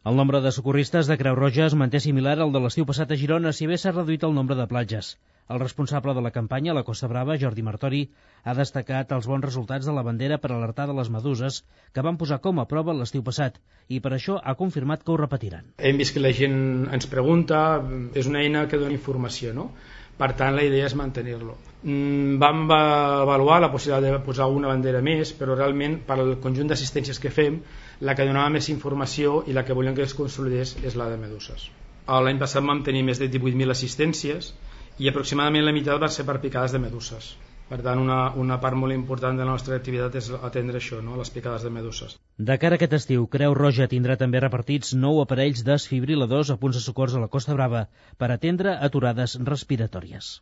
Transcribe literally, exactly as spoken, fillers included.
El nombre de socorristes de Creu Roja es manté similar al de l'estiu passat a Girona, si bé s'ha reduït el nombre de platges. El responsable de la campanya a la Costa Brava, Jordi Martori, ha destacat els bons resultats de la bandera per alertar de les meduses que van posar com a prova l'estiu passat i per això ha confirmat que ho repetiran. Hem vist que la gent ens pregunta, és una eina que dona informació, no? Per tant, la idea és mantenir-lo. Vam avaluar la possibilitat de posar una bandera més, però realment per al conjunt d'assistències que fem, la que donava més informació i la que volíem que es consolidés és la de meduses. L'any passat vam tenir més de divuit mil assistències i aproximadament la meitat va ser per picades de meduses. Per tant, una, una part molt important de la nostra activitat és atendre això, no? Les picades de meduses. De cara a aquest estiu, Creu Roja tindrà també repartits nou aparells desfibriladors a punts de socors a la Costa Brava per atendre aturades respiratòries.